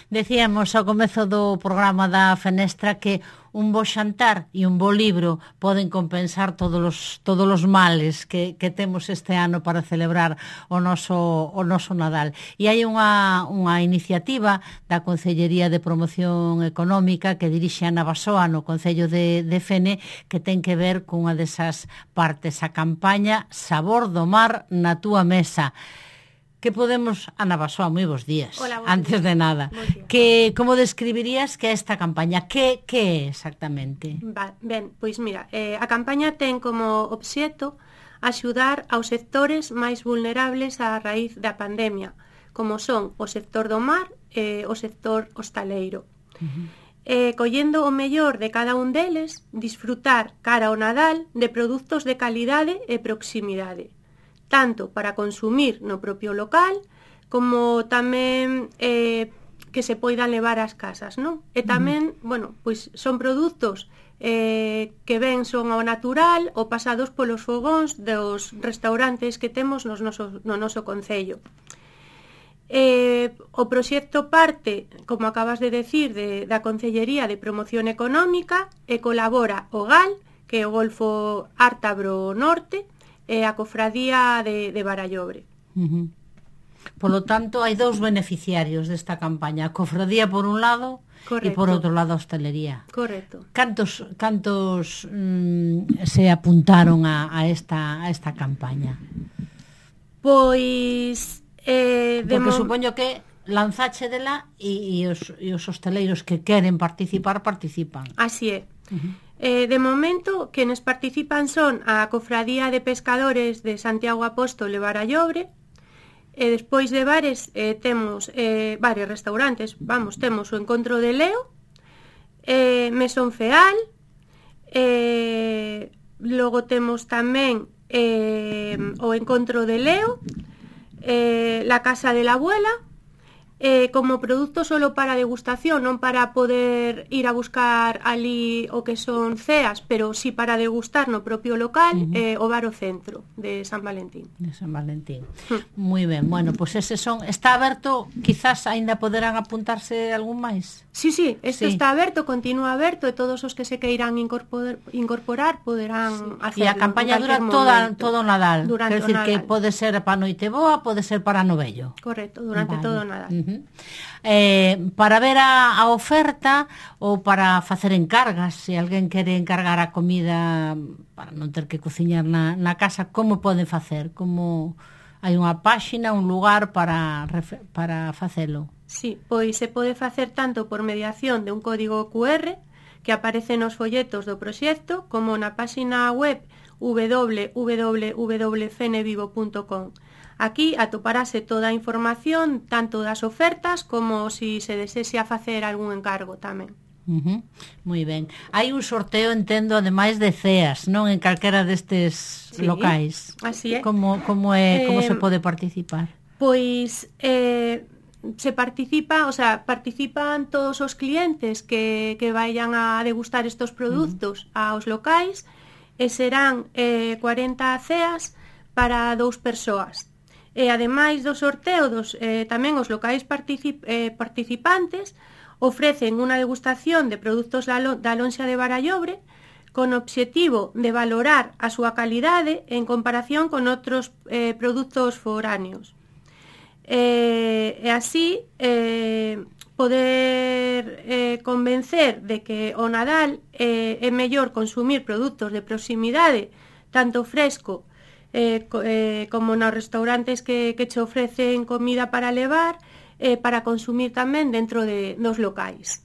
Decíamos ao comezo do programa da Fenestra que un bo xantar e un bo libro poden compensar todos os males que temos este ano para celebrar o noso Nadal. E hai unha iniciativa da Concellería de Promoción Económica que dirixe Ana Basoa no Concello de Fene, que ten que ver cunha desas partes, a campaña Sabor do Mar na túa mesa. Que podemos... Ana Basoa, moi bons días. Hola, antes días. De nada. Como describirías que é esta campaña? Que é exactamente? Ben, pois mira, a campaña ten como obxecto axudar aos sectores máis vulnerables a raíz da pandemia, como son o sector do mar e o sector hostaleiro. Collendo o mellor de cada un deles, disfrutar cara ao Nadal de produtos de calidade e proximidade, tanto para consumir no propio local, como tamén que se poidan levar ás casas, non? E tamén, bueno, pois son produtos que ben son ao natural ou pasados polos fogóns dos restaurantes que temos no noso concello. O proxecto parte, como acabas de decir, da Concellería de Promoción Económica e colabora o GAL, que é o Golfo Ártabro Norte, e a Cofradía de Barallobre. Polo tanto, hai dous beneficiarios desta campaña, a Cofradía por un lado. Correcto. E por outro lado a hostelería. Correcto. Cantos se apuntaron a esta campaña? Pois... porque supoño que lanzache dela e os hosteleiros que queren participar, participan. Así é. De momento, quenes participan son a Cofradía de Pescadores de Santiago Apóstol e Barallobre, e despois de bares temos varios restaurantes. Temos o Encontro de Leo, Mesón Feal, logo temos tamén o Encontro de Leo, la Casa de la Abuela, como produto solo para degustación, non para poder ir a buscar ali o que son ceas, pero sí para degustar no propio local, o Bar o Centro de San Valentín. De San Valentín. Moi ben, bueno, pois eses son... Está aberto, quizás aínda poderán apuntarse algún máis? Sí, isto está aberto, continúa aberto, e todos os que se queiran incorporar poderán hacerlo. E a campaña dura todo o Nadal. Quer decir que pode ser para Noiteboa, pode ser para Novello. Correcto, durante todo o Nadal. Para ver a oferta ou para facer encargas, se alguén quere encargar a comida para non ter que cociñar na casa, como pode facer? Como hai unha páxina, un lugar para facelo? Sí, pois se pode facer tanto por mediación de un código QR que aparece nos folletos do proxecto, como na páxina web www.fenevivo.com. Aquí atoparase toda a información, tanto das ofertas como si se desexia facer algún encargo tamén. Moi ben. Hai un sorteo, entendo, ademais de ceas, non? En calquera destes locais. Así é. Como se pode participar? Pois participan todos os clientes que vayan a degustar estos produtos aos locais, e serán 40 ceas para 2 persoas. E ademais do sorteo, tamén os locais participantes ofrecen unha degustación de produtos da lonxa de Barallobre con obxectivo de valorar a súa calidade en comparación con outros produtos foráneos. E así poder convencer de que o Nadal é mellor consumir produtos de proximidade, tanto fresco como nos restaurantes que che ofrecen comida para levar, para consumir tamén dentro dos locais.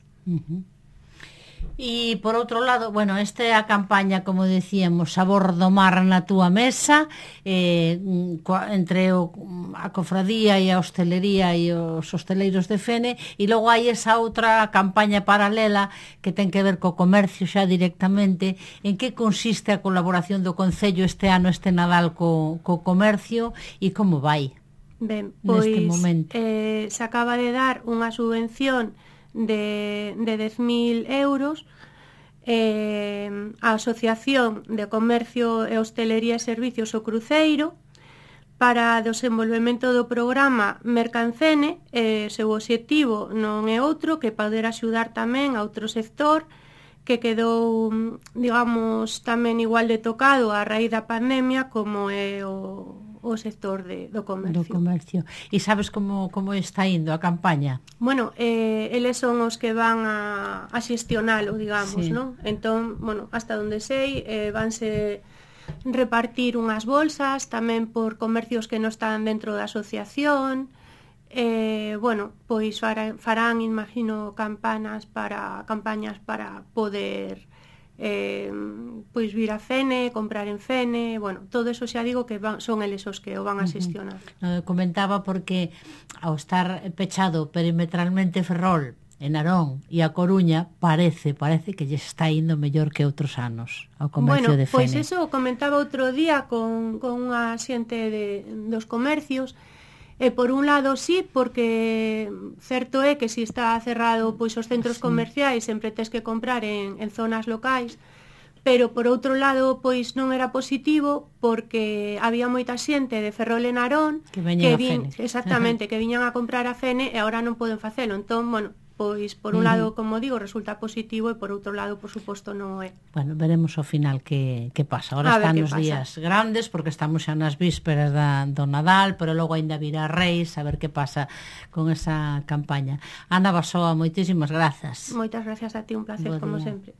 E por outro lado, bueno, esta é a campaña, como decíamos, Sabor do Mar na túa mesa, entre a cofradía e a hostelería e os hosteleiros de Fene, e logo hai esa outra campaña paralela que ten que ver co comercio xa directamente. En que consiste a colaboración do Concello este ano, este Nadal, co comercio, e como vai? Ben, pois se acaba de dar unha subvención de 10.000 euros a Asociación de Comercio e Hostelería e Servicios O Cruceiro Para o desenvolvemento do programa Mercancene, seu obxectivo non é outro que poder axudar tamén a outro sector que quedou, digamos, tamén igual de tocado a raíz da pandemia como é o sector do comercio. Do comercio. E sabes como está indo a campaña? Bueno, eles son os que van a xestionalo, digamos, Sí. non? Entón, bueno, hasta onde sei, vanse repartir unhas bolsas tamén por comercios que non están dentro da asociación. Bueno, pois farán, imagino, campañas para poder pois vir a Fene, comprar en Fene, bueno, todo eso xa digo que son eles os que o van a xestionar. Comentaba porque ao estar pechado perimetralmente Ferrol, en Narón e a Coruña, parece que lle está indo mellor que outros anos ao comercio de Fene. Pois eso comentaba outro día con unha xente dos comercios. Por un lado sí, porque certo é que se está cerrado pois os centros comerciais sempre tes que comprar en zonas locais, pero por outro lado pois non era positivo porque había moita xente de Ferrol e Narón que veñan a Fene. Exactamente, que viñan a comprar a Fene e agora non poden facelo. Entón, bueno, pois por un lado, como digo, resulta positivo e por outro lado, por suposto, non é. Bueno, veremos ao final que pasa. Ahora están os días grandes porque estamos xa nas vísperas do Nadal, pero logo ainda virá Reis, a ver que pasa con esa campaña. Ana Basoa, moitísimas grazas. Moitas gracias a ti, un placer, como sempre.